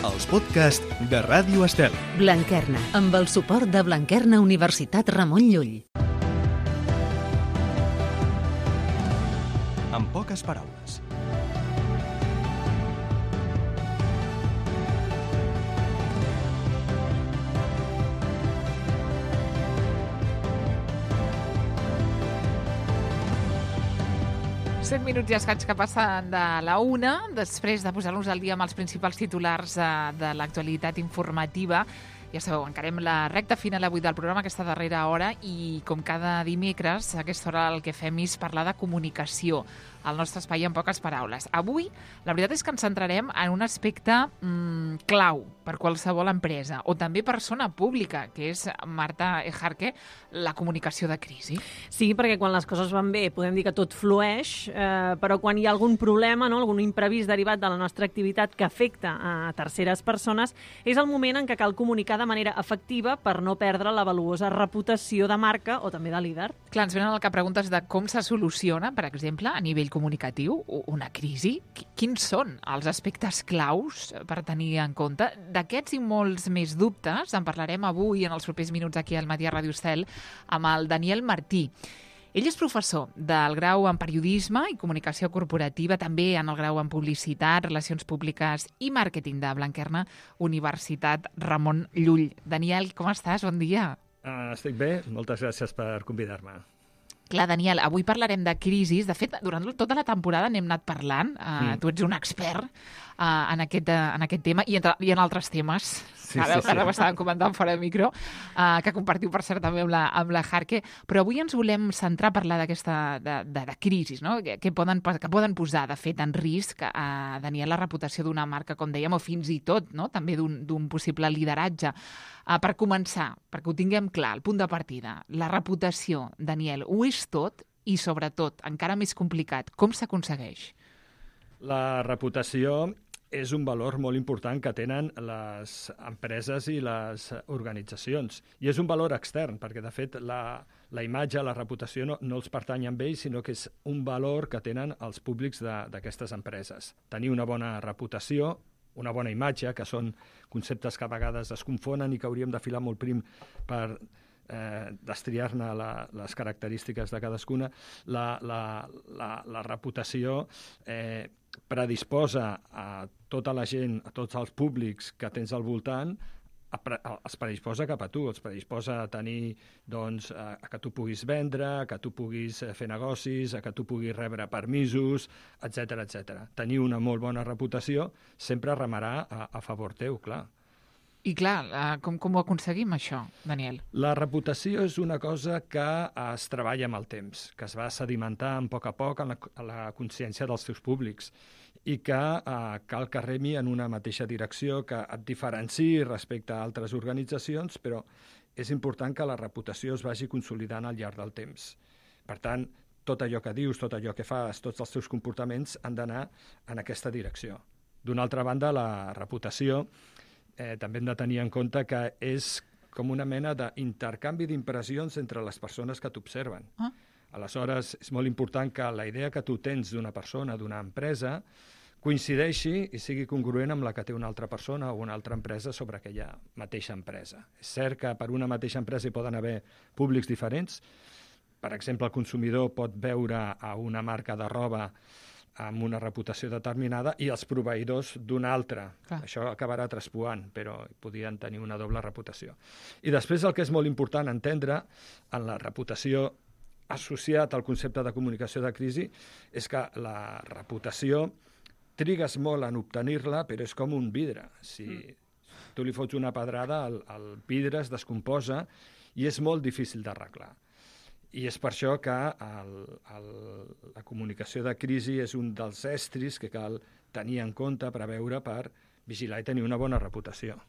els podcasts de Ràdio Estel. Blanquerna, amb el suport de Blanquerna Universitat Ramon Llull. En poques paraules. Set minuts i escaig que passen de la una, després de posar-nos al dia amb els principals titulars de l'actualitat informativa. Ja sabeu, encarem la recta final avui del programa, aquesta darrera hora, i com cada dimecres, a aquesta hora el que fem és parlar de comunicació, al nostre espai en poques paraules. Avui, la veritat és que ens centrarem en un aspecte clau per qualsevol empresa, o també persona pública, que és, Marta Ejarque, la comunicació de crisi. Sí, perquè quan les coses van bé podem dir que tot flueix, però quan hi ha algun problema, no, algun imprevist derivat de la nostra activitat que afecta a terceres persones, és el moment en què cal comunicar de manera efectiva per no perdre la valuosa reputació de marca o també de líder. Clar, ens venen al cap preguntes de com se soluciona, per exemple, a nivell comunicatiu, una crisi. Quins són els aspectes claus per tenir en compte? D'aquests i molts més dubtes en parlarem avui en els propers minuts aquí al Matí a Ràdio Estel amb el Daniel Martí. Ell és professor del grau en Periodisme i Comunicació Corporativa, també en el grau en Publicitat, Relacions Públiques i Màrqueting de Blanquerna Universitat Ramon Llull. Daniel, com estàs? Bon dia. Estic bé, moltes gràcies per convidar-me. Clar, Daniel, avui parlarem de crisis. De fet, durant tota la temporada n'hem anat parlant. Tu ets un expert en aquest tema i en altres temes. Sí, ara sí. ho estàvem comentant fora de micro, que compartiu, per cert, també amb la Jarque. Però avui ens volem centrar a parlar d'aquesta de crisis, no? que poden posar, de fet, en risc, Daniel, la reputació d'una marca, com dèiem, o fins i tot, no? també d'un possible lideratge. Per començar, perquè ho tinguem clar, el punt de partida, la reputació, Daniel, ho és tot i, sobretot, encara més complicat, com s'aconsegueix? La reputació és un valor molt important que tenen les empreses i les organitzacions. I és un valor extern, perquè, de fet, la imatge, la reputació no els pertany a ells, sinó que és un valor que tenen els públics d'aquestes empreses. Tenir una bona reputació, una bona imatge, que són conceptes que a vegades es confonen i que hauríem de filar molt prim per destriar-ne les característiques de cadascuna. La reputació predisposa a tota la gent, a tots els públics que tens al voltant, es predisposa cap a tu, els predisposa a tenir, doncs, a que tu puguis vendre, a que tu puguis fer negocis, a que tu puguis rebre permisos, etc etc. Tenir una molt bona reputació sempre remarà a favor teu, clar. I clar, com ho aconseguim, això, Daniel? La reputació és una cosa que es treballa amb el temps, que es va sedimentar a poc en la consciència dels teus públics i que cal que remi en una mateixa direcció, que et diferenciï respecte a altres organitzacions, però és important que la reputació es vagi consolidant al llarg del temps. Per tant, tot allò que dius, tot allò que fas, tots els teus comportaments han d'anar en aquesta direcció. D'una altra banda, la reputació també hem de tenir en compte que és com una mena d'intercanvi d'impressions entre les persones que t'observen. Aleshores, és molt important que la idea que tu tens d'una persona, d'una empresa, coincideixi i sigui congruent amb la que té una altra persona o una altra empresa sobre aquella mateixa empresa. És cert que per una mateixa empresa hi poden haver públics diferents. Per exemple, el consumidor pot veure a una marca de roba amb una reputació determinada i els proveïdors d'una altra. Això acabarà traspuant, però podien tenir una doble reputació. I després el que és molt important entendre en la reputació associat al concepte de comunicació de crisi és que la reputació trigues molt en obtenir-la, però és com un vidre. Si tu li fots una pedrada, el vidre es descomposa i és molt difícil d'arreglar. I és per això que la comunicació de crisi és un dels estris que cal tenir en compte, preveure per vigilar i tenir una bona reputació.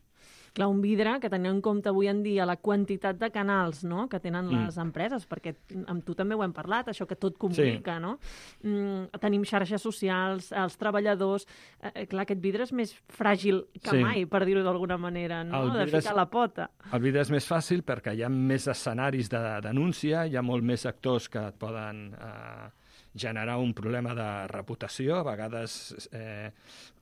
Clar, un vidre que tenint en compte avui en dia la quantitat de canals, no?, que tenen les empreses, perquè amb tu també ho hem parlat, això que tot comunica, no? Tenim xarxes socials, els treballadors. Clar, aquest vidre és més fràgil que mai, per dir-ho d'alguna manera, no?, de ficar la pota. El vidre és més fàcil perquè hi ha més escenaris de denúncia, hi ha molt més actors que et poden generar un problema de reputació, a vegades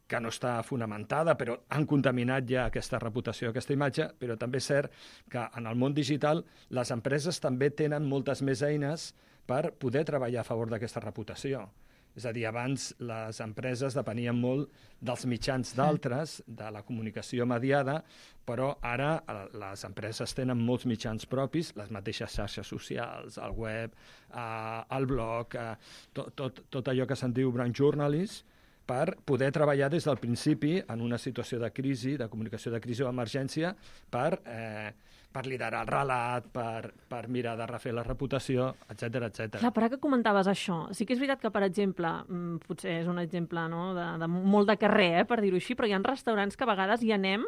que no està fonamentada, però han contaminat ja aquesta reputació, aquesta imatge, però també és cert que en el món digital les empreses també tenen moltes més eines per poder treballar a favor d'aquesta reputació. És a dir, abans les empreses depenien molt dels mitjans d'altres, de la comunicació mediada, però ara les empreses tenen molts mitjans propis, les mateixes xarxes socials, el web, el blog, tot allò que se'n diu brand journalist, per poder treballar des del principi en una situació de crisi, de comunicació de crisi o emergència, per liderar el relat, per mirar de refer la reputació, etc etc. Clar, per ara que comentaves això, sí que és veritat que, per exemple, potser és un exemple de molt de carrer, per dir-ho així, però hi ha restaurants que a vegades hi anem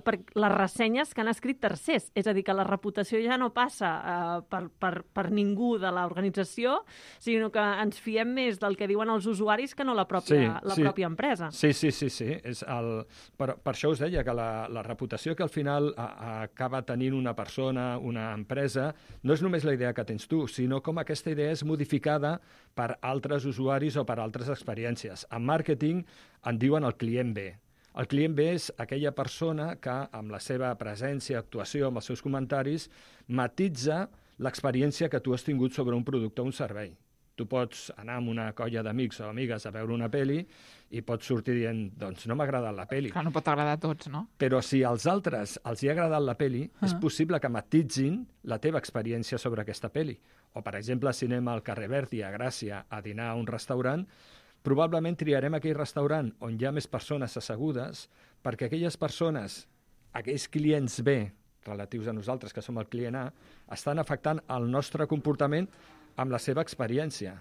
per les ressenyes que han escrit tercers. És a dir, que la reputació ja no passa per ningú de l'organització, sinó que ens fiem més del que diuen els usuaris que no la pròpia empresa. Sí. Per això us deia que la reputació que al final acaba tenint una persona, una empresa, no és només la idea que tens tu, sinó com aquesta idea és modificada per altres usuaris o per altres experiències. En màrqueting en diuen el client B. El client B és aquella persona que, amb la seva presència, actuació, amb els seus comentaris, matitza l'experiència que tu has tingut sobre un producte o un servei. Tu pots anar amb una colla d'amics o amigues a veure una pel·li i pots sortir dient, doncs no m'ha agradat la pel·li. Clar, no pot agradar a tots, no? Però si als altres els hi ha agradat la pel·li, és possible que matitzin la teva experiència sobre aquesta pel·li. O, per exemple, si anem al carrer Verdi, a Gràcia, a dinar a un restaurant, probablement triarem aquell restaurant on hi ha més persones assegudes perquè aquelles persones, aquells clients B, relatius a nosaltres, que som el client A, estan afectant el nostre comportament amb la seva experiència.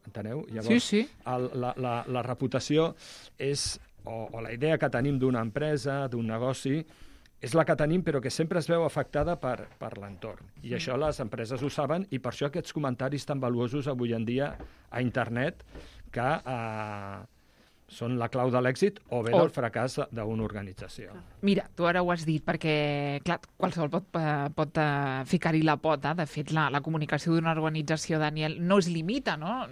Enteneu? Llavors, sí. La reputació és, o la idea que tenim d'una empresa, d'un negoci, és la que tenim, però que sempre es veu afectada per l'entorn. I això les empreses ho saben, i per això aquests comentaris tan valuosos avui en dia a internet, que són la clau de l'èxit o bé del fracàs d'una organització. Mira, tu ara ho has dit, perquè clar, qualsevol pot ficar-hi la pota. De fet, la comunicació d'una organització, Daniel, no es limita, no?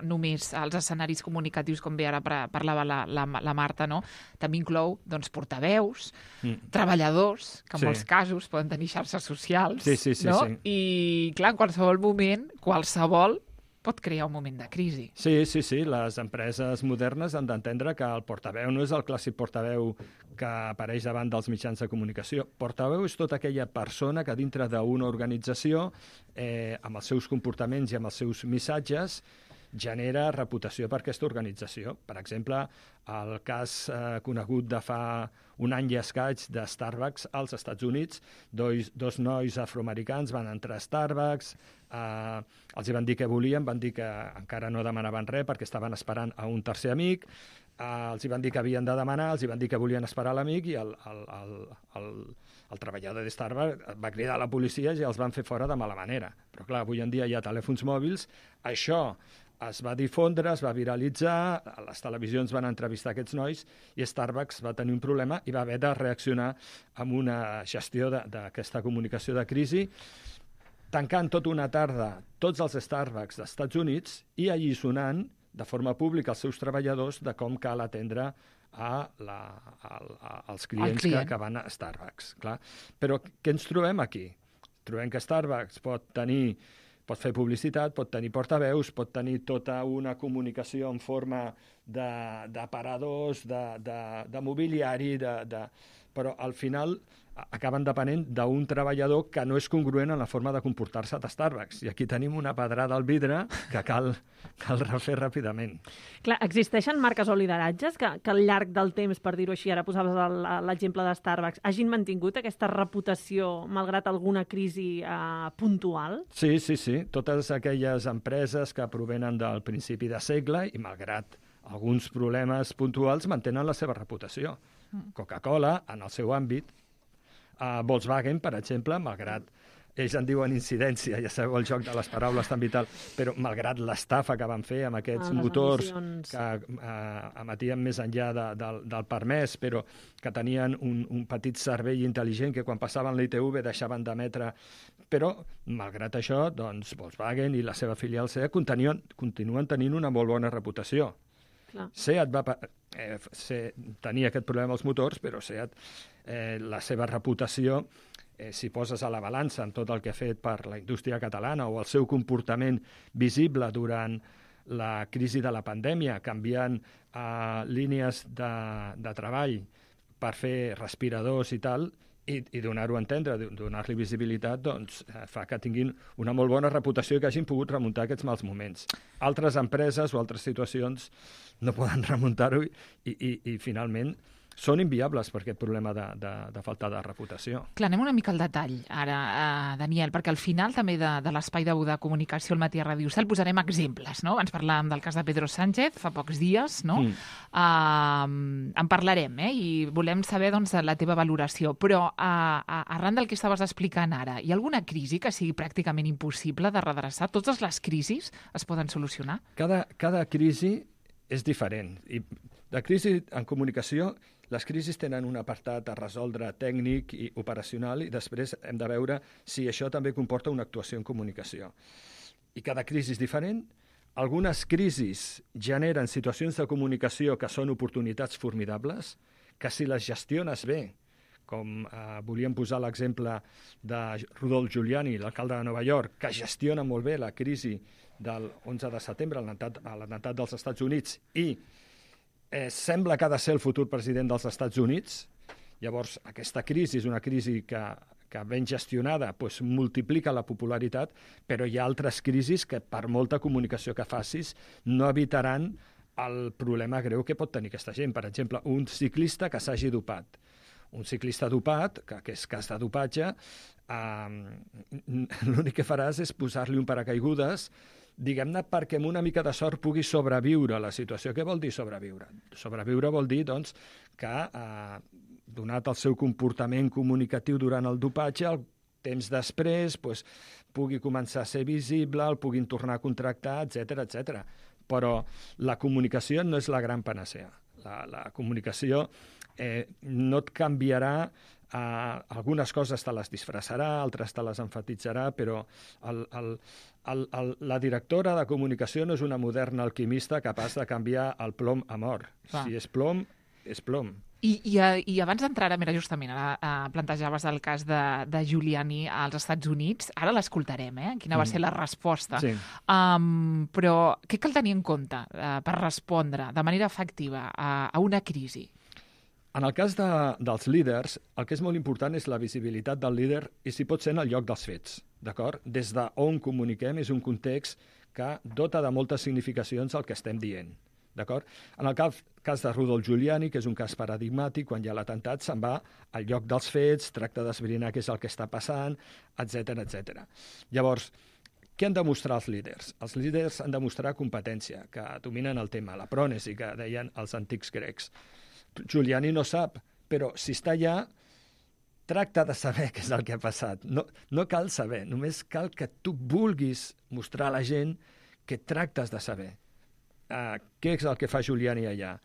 Només als escenaris comunicatius, com bé ara parlava la Marta, no? També inclou portaveus, treballadors, que en molts casos poden tenir xarxes socials, no? Sí. I clar, en qualsevol moment, qualsevol pot crear un moment de crisi. Sí. Les empreses modernes han d'entendre que el portaveu no és el clàssic portaveu que apareix davant dels mitjans de comunicació. Portaveu és tota aquella persona que dintre d'una organització, amb els seus comportaments i amb els seus missatges, genera reputació per aquesta organització. Per exemple, el cas conegut de fa un any i escaig de Starbucks als Estats Units, dos nois afroamericans van entrar a Starbucks, els van dir què volien, van dir que encara no demanaven res perquè estaven esperant a un tercer amic, els van dir que havien de demanar, els van dir que volien esperar l'amic, i el treballador de Starbucks va cridar a la policia i els van fer fora de mala manera. Però clar, avui en dia hi ha telèfons mòbils, això es va difondre, es va viralitzar, les televisions van entrevistar aquests nois i Starbucks va tenir un problema i va haver de reaccionar amb una gestió d'aquesta comunicació de crisi, tancant tota una tarda tots els Starbucks dels Estats Units i alliçonant de forma pública als seus treballadors de com cal atendre als clients que van a Starbucks. Clar. Però què ens trobem aquí? Trobem que Starbucks pot fer publicitat, pot tenir portaveus, pot tenir tota una comunicació en forma d'aparadors, de mobiliari, però al final acaben depenent d'un treballador que no és congruent en la forma de comportar-se de Starbucks. I aquí tenim una pedrada al vidre que cal refer ràpidament. Clar, existeixen marques o lideratges que al llarg del temps, per dir-ho així, ara posaves l'exemple de Starbucks, hagin mantingut aquesta reputació malgrat alguna crisi puntual? Sí. Totes aquelles empreses que provenen del principi de segle i malgrat alguns problemes puntuals mantenen la seva reputació. Coca-Cola, en el seu àmbit, Volkswagen, per exemple, malgrat ells en diuen incidència, ja sabeu el joc de les paraules tan vital, però malgrat l'estafa que van fer amb aquests motors que emetien més enllà del permès, però que tenien un petit cervell intel·ligent que quan passaven l'ITV deixaven d'emetre. Però, malgrat això, doncs, Volkswagen i la seva filial SEAT continuen tenint una molt bona reputació. SEAT tenia aquest problema als motors, però SEAT, la seva reputació, si poses a la balança amb tot el que ha fet per la indústria catalana o el seu comportament visible durant la crisi de la pandèmia, canviant línies de treball per fer respiradors i tal, i donar-ho a entendre, donar-li visibilitat, doncs fa que tinguin una molt bona reputació i que hagin pogut remuntar aquests mals moments. Altres empreses o altres situacions no poden remuntar-ho i finalment són inviables per aquest problema de falta de reputació. Clar, anem una mica al detall ara, Daniel, perquè al final també de l'espai de comunicació al matí a Ràdio Cel posarem exemples, no? Abans parlàvem del cas de Pedro Sánchez fa pocs dies, no? En parlarem, i volem saber doncs, la teva valoració, però arran del que estaves explicant ara, hi ha alguna crisi que sigui pràcticament impossible de redreçar? Totes les crisis es poden solucionar? Cada crisi és diferent. I de crisi en comunicació, les crisis tenen un apartat a resoldre tècnic i operacional i després hem de veure si això també comporta una actuació en comunicació. I cada crisi és diferent. Algunes crisis generen situacions de comunicació que són oportunitats formidables, que si les gestiones bé, com volíem posar l'exemple de Rudolf Giuliani, l'alcalde de Nova York, que gestiona molt bé la crisi del 11 de setembre, l'atemptat dels Estats Units, i sembla que ha de ser el futur president dels Estats Units. Llavors, aquesta crisi és una crisi que ben gestionada multiplica la popularitat, però hi ha altres crisis que, per molta comunicació que facis, no evitaran el problema greu que pot tenir aquesta gent. Per exemple, un ciclista que s'hagi dopat. Un ciclista dopat, que és cas de dopatge, l'únic que faràs és posar-li un paracaigudes, diguem-ne, perquè amb una mica de sort pugui sobreviure a la situació. Què vol dir sobreviure? Sobreviure vol dir, doncs, que, donat el seu comportament comunicatiu durant el dopatge, el temps després pugui començar a ser visible, el puguin tornar a contractar, etc. Però la comunicació no és la gran panacea. La comunicació no et canviarà, algunes coses te les disfressarà, altres te les enfatitzarà, però la directora de comunicació no és una moderna alquimista capaç de canviar el plom a or. Si és plom, és plom. I abans d'entrar, mira, justament, ara plantejaves el cas de Giuliani als Estats Units. Ara l'escoltarem, quina va ser la resposta. Sí. Però què cal tenir en compte per respondre de manera efectiva a una crisi? En el cas dels líders, el que és molt important és la visibilitat del líder i si pot ser en el lloc dels fets, d'acord? Des d'on comuniquem és un context que dota de moltes significacions el que estem dient, d'acord? En el cas de Rudolf Giuliani, que és un cas paradigmàtic, quan hi ha l'atemptat se'n va al lloc dels fets, tracta d'esbrinar què és el que està passant, etc. Llavors, què han de mostrar els líders? Els líders han de mostrar competència, que dominen el tema, la prònesi, que deien els antics grecs. Giuliani no sap, però si està allà, tracta de saber què és el que ha passat. No cal saber, només cal que tu vulguis mostrar a la gent que tractes de saber. Què és el que fa Giuliani allà?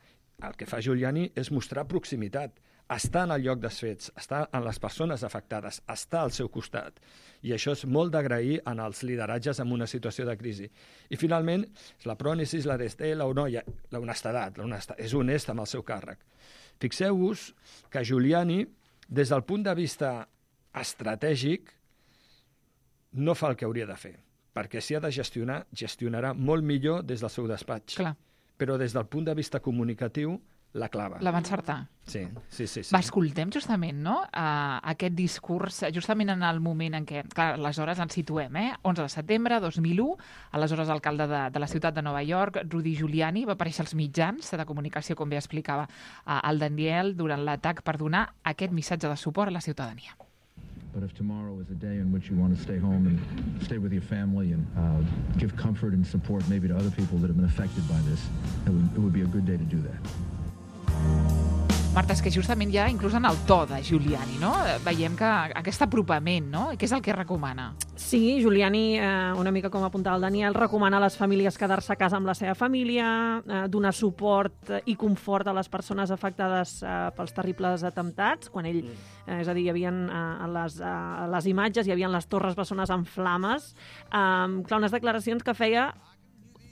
El que fa Giuliani és mostrar proximitat, estar en el lloc dels fets, estar en les persones afectades, estar al seu costat. I això és molt d'agrair en els lideratges en una situació de crisi. I finalment, la prònesis, la honestedat. És honest amb el seu càrrec. Fixeu-vos que Giuliani, des del punt de vista estratègic, no fa el que hauria de fer, perquè si ha de gestionar, gestionarà molt millor des del seu despatx. Clar. Però des del punt de vista comunicatiu, la clava. La va encertar. Sí. Va, escoltem justament, no?, aquest discurs, justament en el moment en què, clar, aleshores ens situem, 11 de setembre, 2001, aleshores alcalde de la ciutat de Nova York, Rudy Giuliani, va aparèixer als mitjans de comunicació, com bé explicava el Daniel, durant l'atac per donar aquest missatge de suport a la ciutadania. But if tomorrow is a day in which you want to stay home and stay with your family and give comfort and support maybe to other people that have been affected by this, it would be a good day to do that. Marta, és que justament ja, inclús en el to de Giuliani, no?, veiem que aquest apropament, no?, què és el que recomana? Sí, Giuliani, una mica com apuntava el Daniel, recomana a les famílies quedar-se a casa amb la seva família, donar suport i confort a les persones afectades pels terribles atemptats, quan ell, és a dir, hi havia a les imatges, hi havia les Torres Bessones en flames, clar, unes declaracions que feia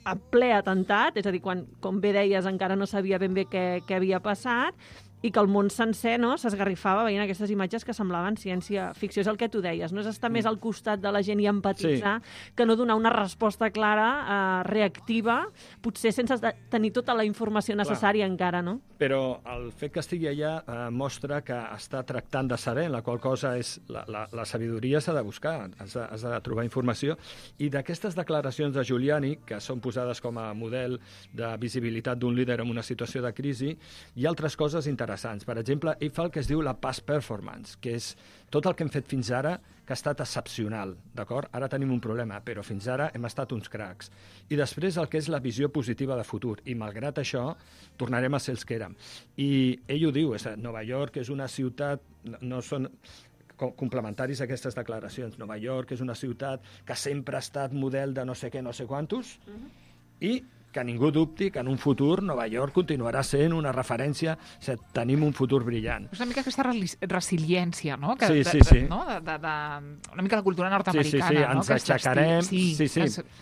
a ple atemptat, és a dir, quan, com bé deies, encara no sabia ben bé què havia passat, i que el món sencer, no, s'esgarrifava veient aquestes imatges que semblaven ciència-ficció. És el que tu deies, no? És estar més al costat de la gent i empatitzar que no donar una resposta clara, reactiva, potser sense tenir tota la informació necessària encara, no? Però el fet que estigui allà mostra que està tractant de saber, la qual cosa és la sabidoria s'ha de buscar, has de trobar informació, i d'aquestes declaracions de Giuliani, que són posades com a model de visibilitat d'un líder en una situació de crisi, hi ha altres coses interessants. Per exemple, ell fa el que es diu la past performance, que és tot el que hem fet fins ara que ha estat excepcional, d'acord? Ara tenim un problema, però fins ara hem estat uns cracs. I després el que és la visió positiva de futur, i malgrat això tornarem a ser els que érem. I ell ho diu, Nova York és una ciutat, no són complementaris a aquestes declaracions, Nova York és una ciutat que sempre ha estat model de no sé què, no sé quantos, i que ningú dubti que en un futur Nova York continuarà sent una referència, tenim un futur brillant. És una mica aquesta resiliència, no? Sí. No? Una mica la cultura nord-americana. Sí, ens aixecarem. Sí.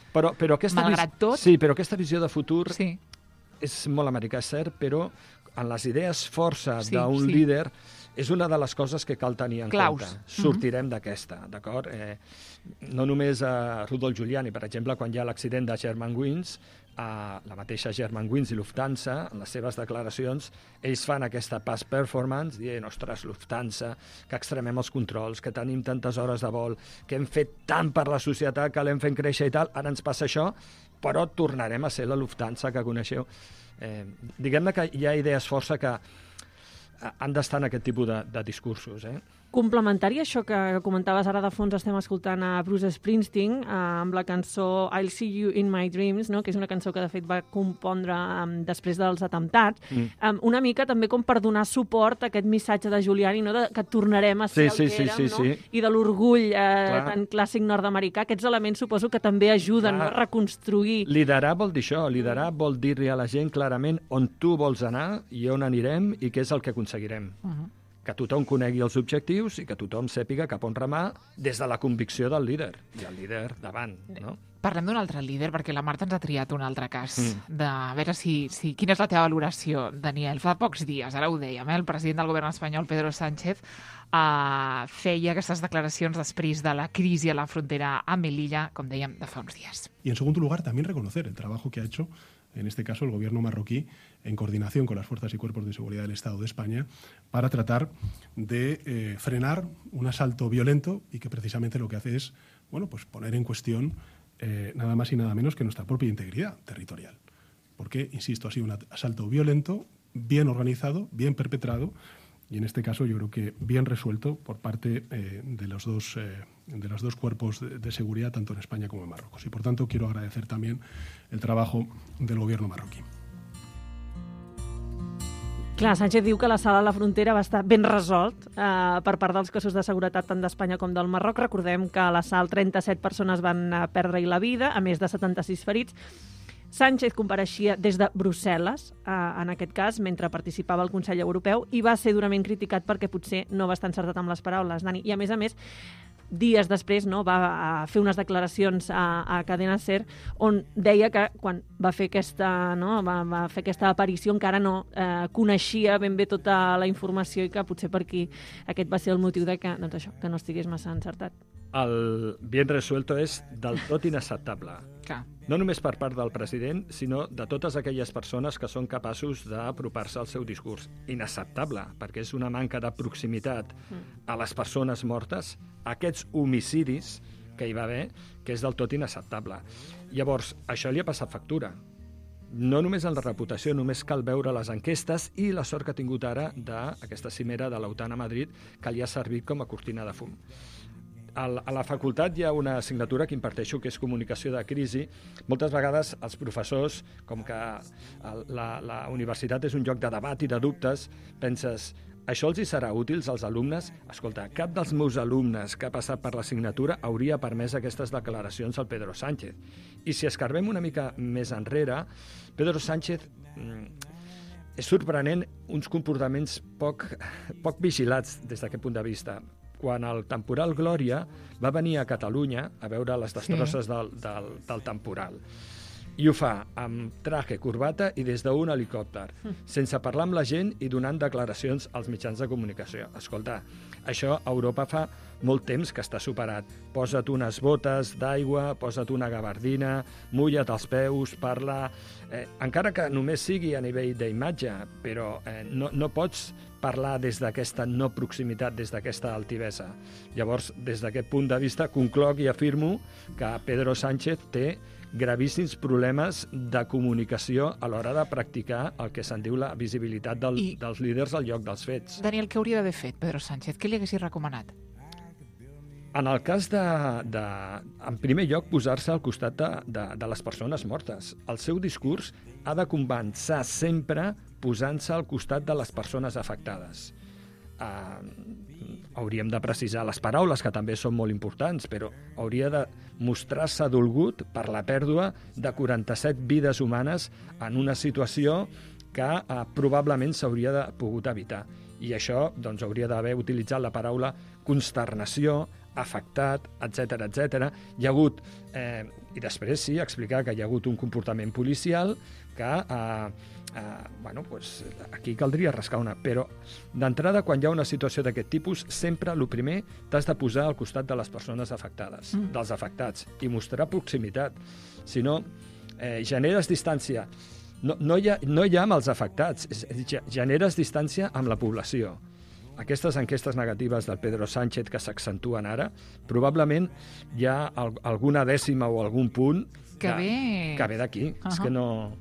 Però aquesta malgrat tot... Sí, però aquesta visió de futur és molt americà, és cert, però en les idees força d'un líder és una de les coses que cal tenir en compte. Sortirem d'aquesta, d'acord? No només a Rudolf Giuliani, per exemple, quan hi ha l'accident de Germanwings, la mateixa Germanwings i Lufthansa, en les seves declaracions, ells fan aquesta past performance, dient, ostres, Lufthansa, que extremem els controls, que tenim tantes hores de vol, que hem fet tant per la societat, que l'hem fent créixer i tal, ara ens passa això, però tornarem a ser la Lufthansa que coneixeu. Diguem-ne que hi ha idees força que han d'estar en aquest tipus de discursos, Complementari a això que comentaves ara de fons, estem escoltant a Bruce Springsteen amb la cançó I'll See You in My Dreams, no? Que és una cançó que de fet va compondre després dels atemptats, una mica també com per donar suport a aquest missatge de Giuliani, no? Que tornarem a ser el que érem, no? I de l'orgull tan clàssic nord-americà. Aquests elements suposo que també ajuden a reconstruir. Liderar vol dir això, liderar vol dir-li a la gent clarament on tu vols anar i on anirem i què és el que aconseguirem. Que tothom conegui els objectius i que tothom sàpiga cap on remar des de la convicció del líder, i el líder davant, no? Parlem d'un altre líder, perquè la Marta ens ha triat un altre cas. A veure quina és la teva valoració, Daniel. Fa pocs dies, ara ho dèiem, el president del govern espanyol, Pedro Sánchez, feia aquestes declaracions després de la crisi a la frontera amb Melilla, com dèiem, de fa uns dies. Y en segundo lugar, también reconocer el trabajo que ha hecho en este caso el gobierno marroquí, en coordinación con las fuerzas y cuerpos de seguridad del Estado de España, para tratar de frenar un asalto violento y que precisamente lo que hace es pues poner en cuestión nada más y nada menos que nuestra propia integridad territorial. Porque, insisto, ha sido un asalto violento, bien organizado, bien perpetrado, y en este caso yo creo que bien resuelto por parte de los dos cuerpos de seguridad, tanto en España como en Marruecos. Y por tanto quiero agradecer también el trabajo del gobierno marroquí. Clar, Sánchez diu que l'assalt a la frontera va estar ben resolt per part dels cossos de seguretat tant d'Espanya com del Marroc. Recordem que a l'assalt 37 persones van perdre-hi la vida, a més de 76 ferits. Sánchez compareixia des de Brussel·les, en aquest cas, mentre participava al Consell Europeu, i va ser durament criticat perquè potser no va estar encertat amb les paraules, Dani. I, a més, dies després va fer unes declaracions a Cadena SER on deia que quan va fer aquesta aparició encara no coneixia ben bé tota la informació i que potser per aquí aquest va ser el motiu de que no estigués massa encertat. El bien resuelto és del tot inacceptable. No només per part del president, sinó de totes aquelles persones que són capaços d'apropar-se al seu discurs. Inacceptable, perquè és una manca de proximitat a les persones mortes, aquests homicidis que hi va haver, que és del tot inacceptable. Llavors, això li ha passat factura. No només en la reputació, només cal veure les enquestes i la sort que ha tingut ara d'aquesta cimera de l'OTAN a Madrid, que li ha servit com a cortina de fum. A la facultat hi ha una assignatura que imparteixo que és comunicació de crisi. Moltes vegades els professors, com que la universitat és un lloc de debat i de dubtes, penses, això els hi serà útil als alumnes? Escolta, cap dels meus alumnes que ha passat per l'assignatura hauria permès aquestes declaracions al Pedro Sánchez. I si escarbem una mica més enrere, Pedro Sánchez és sorprenent uns comportaments poc vigilats des d'aquest punt de vista. Quan el temporal Glòria va venir a Catalunya a veure les destrosses del temporal. I ho fa amb traje, corbata i des d'un helicòpter, sense parlar amb la gent i donant declaracions als mitjans de comunicació. Escolta, això a Europa fa molt temps que està superat. Posa't unes botes d'aigua, posa't una gabardina, mulla't els peus, parla... encara que només sigui a nivell d'imatge, però no pots parlar des d'aquesta no proximitat, des d'aquesta altivesa. Llavors, des d'aquest punt de vista, concloc i afirmo que Pedro Sánchez té gravíssims problemes de comunicació a l'hora de practicar el que se'n diu la visibilitat dels líders al lloc dels fets. Daniel, què hauria d'haver fet Pedro Sánchez? Què li haguessis recomanat? En el cas en primer lloc, posar-se al costat de les persones mortes. El seu discurs ha de començar sempre posant-se al costat de les persones afectades. Hauríem de precisar les paraules, que també són molt importants, però hauria de mostrar-se dolgut per la pèrdua de 47 vides humanes en una situació que probablement s'hauria pogut evitar. I això doncs, hauria d'haver utilitzat la paraula consternació, afectat, etc etc. Hi ha hagut, i després sí, explicar que hi ha hagut un comportament policial que aquí caldria rascar una, però d'entrada, quan hi ha una situació d'aquest tipus, sempre el primer t'has de posar al costat de les persones afectades, dels afectats, i mostrar proximitat. Si no, generes distància. No ja amb els afectats, generes distància amb la població. Aquestes enquestes negatives del Pedro Sánchez que s'accentuen ara, probablement hi ha alguna dècima o algun punt que ve d'aquí. És que no...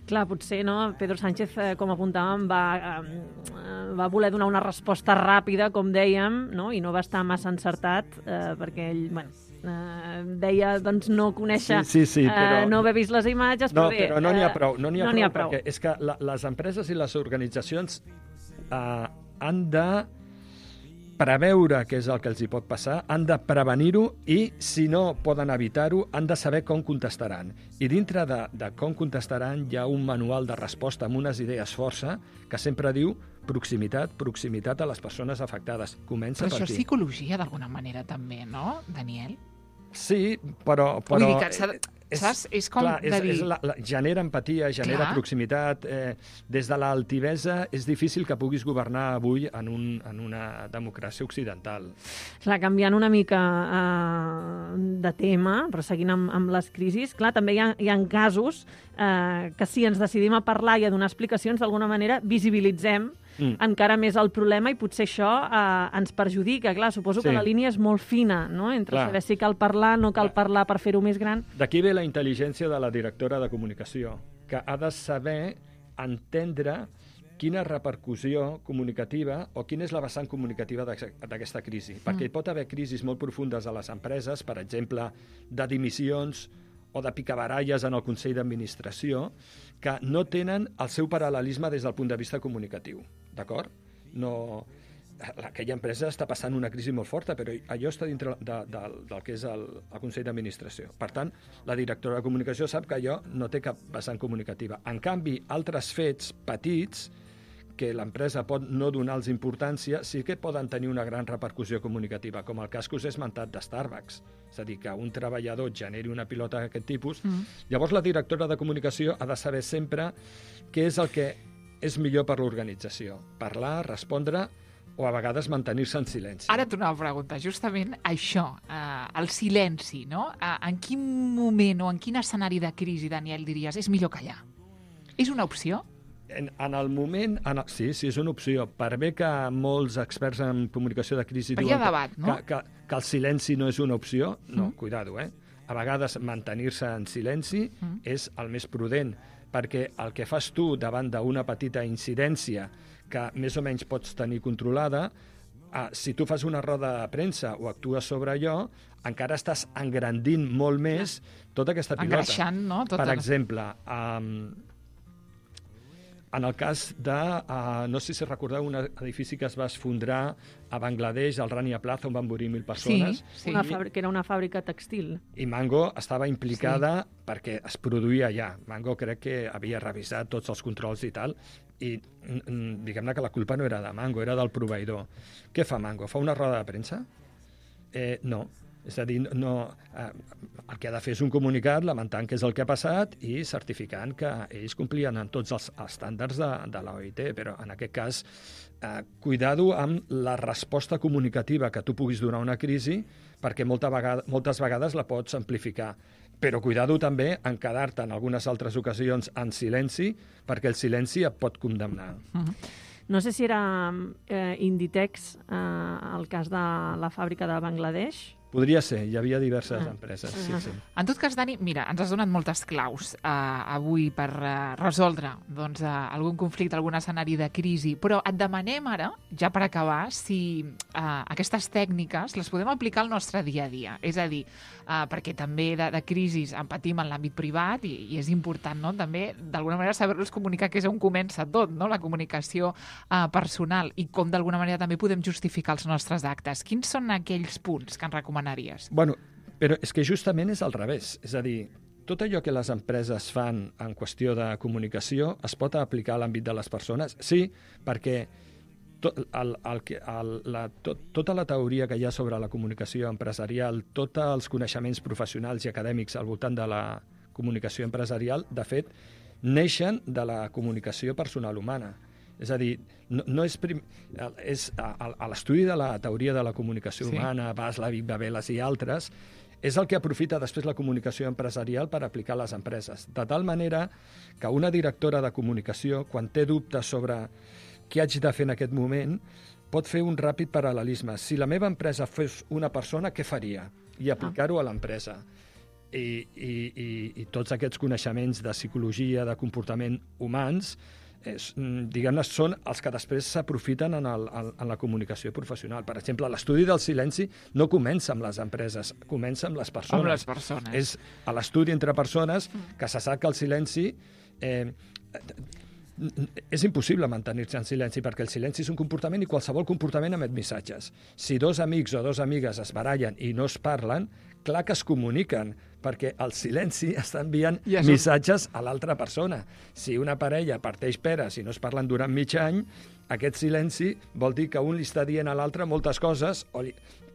Clar, potser no? Pedro Sánchez, com apuntàvem, va voler donar una resposta ràpida, com dèiem, no? I no va estar massa encertat, perquè ell, deia doncs, no conèixer, però... no haver vist les imatges, però bé... Però no n'hi ha prou, perquè és que les empreses i les organitzacions han de preveure què és el que els hi pot passar, han de prevenir-ho i, si no poden evitar-ho, han de saber com contestaran. I dintre de com contestaran hi ha un manual de resposta amb unes idees força que sempre diu proximitat a les persones afectades. Comença per aquí. Però això és psicologia d'alguna manera també, no, Daniel? Sí, però... Vull dir que saps? És com de dir... Genera empatia, genera proximitat. Des de l'altivesa és difícil que puguis governar avui en una democràcia occidental. Clar, canviant una mica de tema, però seguint amb les crisis, clar, també hi ha casos que si ens decidim a parlar i a donar explicacions, d'alguna manera visibilitzem encara més el problema i potser això ens perjudica. Clar, suposo que la línia és molt fina, no? Entre saber si cal parlar, no cal parlar per fer-ho més gran. D'aquí ve la intel·ligència de la directora de comunicació, que ha de saber entendre quina repercussió comunicativa o quina és la vessant comunicativa d'aquesta crisi. Perquè hi pot haver crisis molt profundes a les empreses, per exemple, de dimissions o de picabaralles en el Consell d'Administració, que no tenen el seu paral·lelisme des del punt de vista comunicatiu. D'acord? Aquella empresa està passant una crisi molt forta, però allò està dintre del que és el Consell d'Administració. Per tant, la directora de comunicació sap que allò no té cap vessant comunicativa. En canvi, altres fets petits que l'empresa pot no donar-los importància, sí que poden tenir una gran repercussió comunicativa, com el cas que us he esmentat de Starbucks. És a dir, que un treballador generi una pilota d'aquest tipus. Llavors, la directora de comunicació ha de saber sempre què és el que és millor per l'organització. Parlar, respondre o a vegades mantenir-se en silenci. Ara t'una pregunta, justament això, el silenci, no? En quin moment o en quin escenari de crisi, Daniel, diries, és millor callar? És una opció? En el moment... Sí, és una opció. Per bé que molts experts en comunicació de crisi diuen debat, no? que el silenci no és una opció, no, cuidado, A vegades mantenir-se en silenci és el més prudent, perquè el que fas tu davant d'una petita incidència que més o menys pots tenir controlada, si tu fas una roda de premsa o actues sobre allò, encara estàs engrandint molt més tota aquesta pilota. Engreixant, no? Per exemple, en el cas de, no sé si recordeu, un edifici que es va esfondrar a Bangladesh, al Rania Plaza, on van morir 1.000 persones. Sí. Que era una fàbrica textil. I Mango estava implicada perquè es produïa allà. Mango crec que havia revisat tots els controls i tal, i diguem-ne que la culpa no era de Mango, era del proveïdor. Què fa Mango? Fa una roda de premsa? No. És a dir, el que ha de fer és un comunicat lamentant què és el que ha passat i certificant que ells complien en tots els estàndards de l'OIT, però en aquest cas, cuidado amb la resposta comunicativa que tu puguis donar a una crisi, perquè moltes vegades la pots amplificar. Però cuidado també en quedar-te en algunes altres ocasions en silenci, perquè el silenci et pot condemnar. No sé si era Inditex el cas de la fàbrica de Bangladesh. Podria ser, hi havia diverses empreses, sí. En tot cas, Dani, mira, ens has donat moltes claus avui per resoldre algun conflicte, algun escenari de crisi, però et demanem ara, ja per acabar, si aquestes tècniques les podem aplicar al nostre dia a dia. És a dir, perquè també de crisis en patim en l'àmbit privat i és important, no?, també, d'alguna manera, saber-los comunicar, que és on comença tot, no?, la comunicació personal, i com d'alguna manera també podem justificar els nostres actes. Quins són aquells punts que ens recomanaries? Bueno, però és que justament és al revés. És a dir, tot allò que les empreses fan en qüestió de comunicació es pot aplicar a l'àmbit de les persones? Sí, perquè tota la teoria que hi ha sobre la comunicació empresarial, tots els coneixements professionals i acadèmics al voltant de la comunicació empresarial, de fet, neixen de la comunicació personal humana. És a dir, no és l'estudi de la teoria de la comunicació humana, Václavic, Babelas i altres, és el que aprofita després la comunicació empresarial per aplicar a les empreses. De tal manera que una directora de comunicació, quan té dubtes sobre què haig de fer en aquest moment, pot fer un ràpid paral·lelisme. Si la meva empresa fos una persona, què faria? I aplicar-ho a l'empresa. I tots aquests coneixements de psicologia, de comportament humans, diguem-ne, són els que després s'aprofiten en la comunicació professional. Per exemple, l'estudi del silenci no comença amb les empreses, comença amb les persones. Amb les persones. És a l'estudi entre persones que se sap que el silenci... és impossible mantenir-se en silenci, perquè el silenci és un comportament i qualsevol comportament emet missatges. Si dos amics o dos amigues es barallen i no es parlen, clar que es comuniquen, perquè el silenci està enviant missatges a l'altra persona. Si una parella parteix peres i no es parlen durant mig any, aquest silenci vol dir que un li està dient a l'altre moltes coses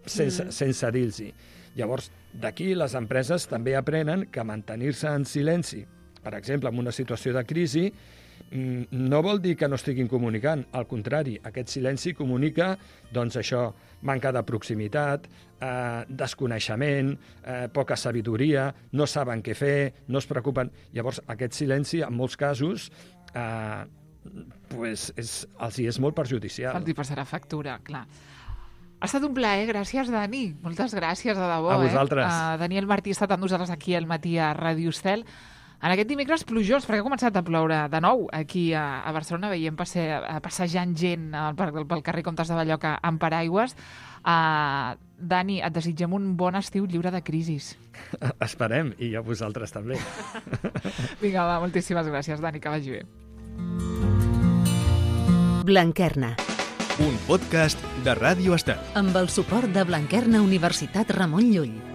sense dir-los-hi. Llavors, d'aquí les empreses també aprenen que mantenir-se en silenci, per exemple, en una situació de crisi, no vol dir que no estiguin comunicant. Al contrari, aquest silenci comunica, doncs això, manca de proximitat, desconeixement, poca sabidoria, no saben què fer, no es preocupen. Llavors, aquest silenci, en molts casos, els hi és molt perjudicial. Els hi passarà factura, clar. Ha estat un plaer, gràcies, Dani. Moltes gràcies, de debò. A vosaltres. Daniel Martí ha estat amb nosaltres aquí al matí a Ràdio Estel. En aquest dimecres plujós, perquè ha començat a ploure de nou aquí a Barcelona, veiem passejant gent pel carrer Comtes de Balloca amb paraigües. Dani, et desitgem un bon estiu lliure de crisis. Esperem, i a vosaltres també. Vinga, va, moltíssimes gràcies, Dani, que vagi bé. Blanquerna. Un podcast de Ràdio Estel. Amb el suport de Blanquerna Universitat Ramon Llull.